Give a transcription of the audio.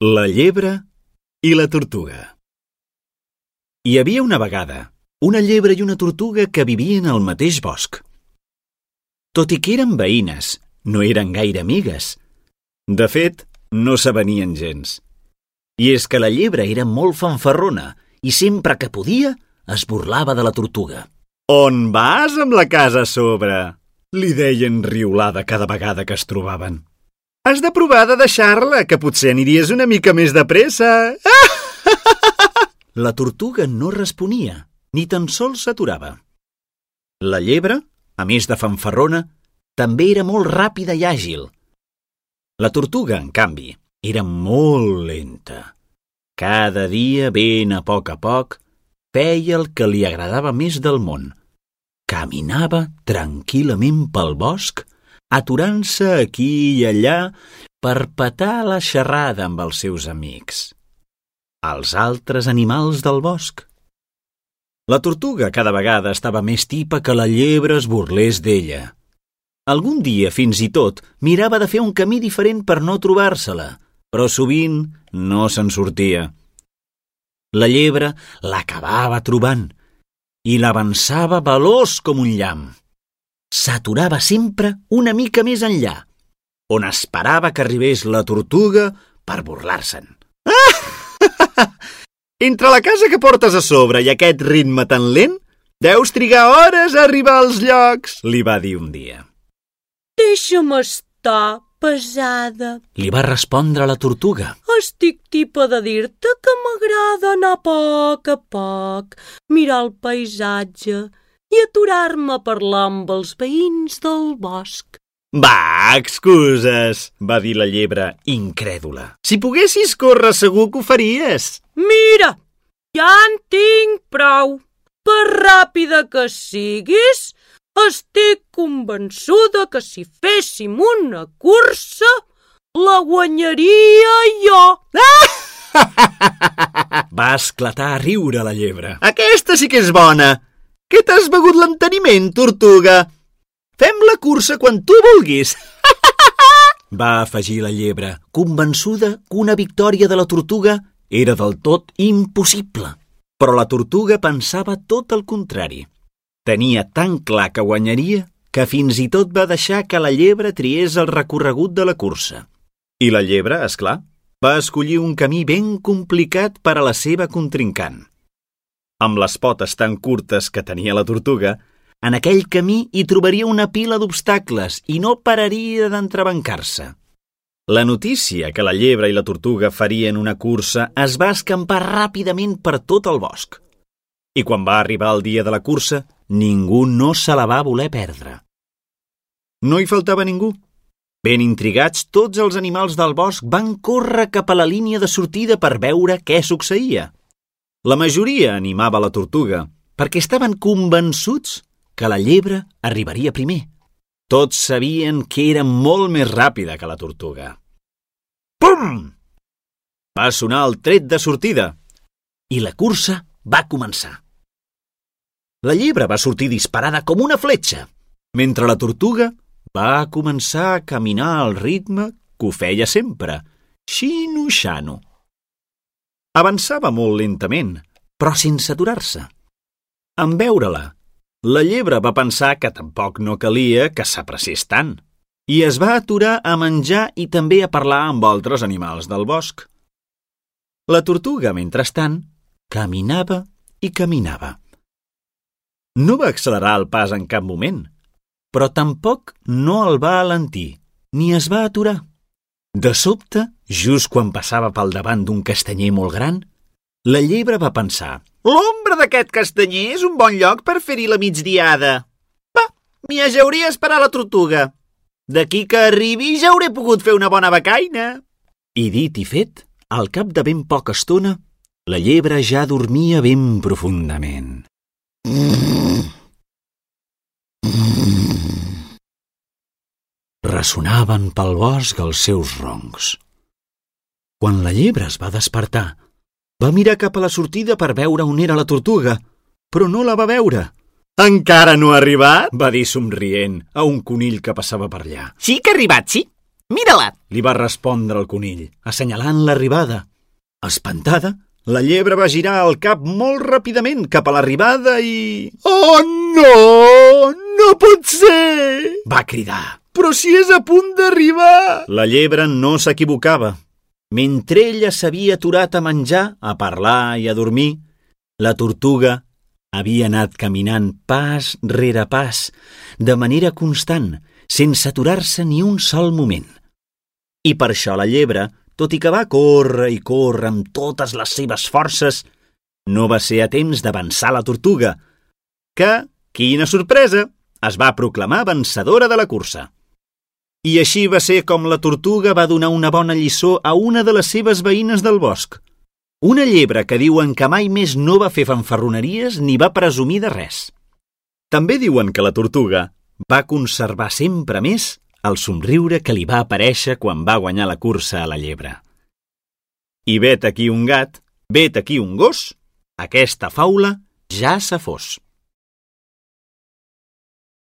La llebre i la tortuga. Hi havia una vegada una llebre i una tortuga que vivien al mateix bosc. Tot i que eren veïnes, no eren gaire amigues. De fet, no s'avenien gens. I és que la llebre era molt fanfarrona i sempre que podia es burlava de la tortuga. «On vas amb la casa a sobre?» li deien riolada cada vegada que es trobaven. «Has de provar de deixar-la, que potser aniries una mica més de pressa!» La tortuga no responia, ni tan sols s'aturava. La llebre, a més de fanfarrona, també era molt ràpida i àgil. La tortuga, en canvi, era molt lenta. Cada dia, ben a poc, feia el que li agradava més del món. Caminava tranquil·lament pel bosc, aturant-se aquí i allà per petar la xerrada amb els seus amics, els altres animals del bosc. La tortuga cada vegada estava més tipa que la llebre es burlés d'ella. Algun dia, fins i tot, mirava de fer un camí diferent per no trobar-se-la, però sovint no se'n sortia. La llebre l'acabava trobant i l'avançava veloç com un llamp. S'aturava sempre una mica més enllà, on esperava que arribés la tortuga per burlar-se'n. Entre la casa que portes a sobre i aquest ritme tan lent, deus trigar hores a arribar als llocs, li va dir un dia. Deixa'm estar, pesada, li va respondre la tortuga. Estic tipa de dir-te que m'agrada anar a poc, mirar el paisatge i aturar-me a parlar amb els veïns del bosc. Va, excuses, va dir la llebre, incrèdula. Si poguessis córrer segur que ho faries. Mira, ja en tinc prou. Per ràpida que siguis, estic convençuda que si féssim una cursa, la guanyaria jo. Va esclatar a riure la llebre. Aquesta sí que és bona. Què t'has begut l'enteniment, tortuga? Fem la cursa quan tu vulguis. Va afegir la llebre, convençuda que una victòria de la tortuga era del tot impossible. Però la tortuga pensava tot el contrari. Tenia tan clar que guanyaria que fins i tot va deixar que la llebre triés el recorregut de la cursa. I la llebre, és clar, va escollir un camí ben complicat per a la seva contrincant. Amb les potes tan curtes que tenia la tortuga, en aquell camí hi trobaria una pila d'obstacles i no pararia d'entrebancar-se. La notícia que la llebre i la tortuga farien una cursa es va escampar ràpidament per tot el bosc. I quan va arribar el dia de la cursa, ningú no se la va voler perdre. No hi faltava ningú. Ben intrigats, tots els animals del bosc van córrer cap a la línia de sortida per veure què succeïa. La majoria animava la tortuga perquè estaven convençuts que la llebre arribaria primer. Tots sabien que era molt més ràpida que la tortuga. Pum! Va sonar el tret de sortida i la cursa va començar. La llebre va sortir disparada com una fletxa, mentre la tortuga va començar a caminar al ritme que ho feia sempre, xino-xano. Avançava molt lentament, però sense aturar-se. En veure-la, la llebre va pensar que tampoc no calia que s'apressés tant i es va aturar a menjar i també a parlar amb altres animals del bosc. La tortuga, mentrestant, caminava i caminava. No va accelerar el pas en cap moment, però tampoc no el va alentir ni es va aturar. De sobte, just quan passava pel davant d'un castanyer molt gran, la llebre va pensar: «L'ombra d'aquest castanyer és un bon lloc per fer-hi la migdiada. Va, m'hi ajauria a esperar la tortuga. D'aquí que arribi ja hauré pogut fer una bona becaina». I dit i fet, al cap de ben poca estona, la llebre ja dormia ben profundament. Ressonaven pel bosc els seus roncs. Quan la llebre es va despertar, va mirar cap a la sortida per veure on era la tortuga, però no la va veure. «Encara no ha arribat?», va dir somrient a un conill que passava per allà. «Sí que ha arribat, sí. Mira-la! Li va respondre el conill, assenyalant l'arribada. Espantada, la llebre va girar el cap molt ràpidament cap a l'arribada i... Oh, no! No pot ser! Va cridar. Però si és a punt d'arribar! La llebre no s'equivocava. Mentre ella s'havia aturat a menjar, a parlar i a dormir, la tortuga havia anat caminant pas rere pas, de manera constant, sense aturar-se ni un sol moment. I per això la llebre, tot i que va córrer i córrer amb totes les seves forces, no va ser a temps d'avançar la tortuga, que, quina sorpresa, es va proclamar vencedora de la cursa. I així va ser com la tortuga va donar una bona lliçó a una de les seves veïnes del bosc. Una llebre que diuen que mai més no va fer fanfarroneries ni va presumir de res. També diuen que la tortuga va conservar sempre més el somriure que li va aparèixer quan va guanyar la cursa a la llebre. I vet aquí un gat, vet aquí un gos, aquesta faula ja s'ha fos.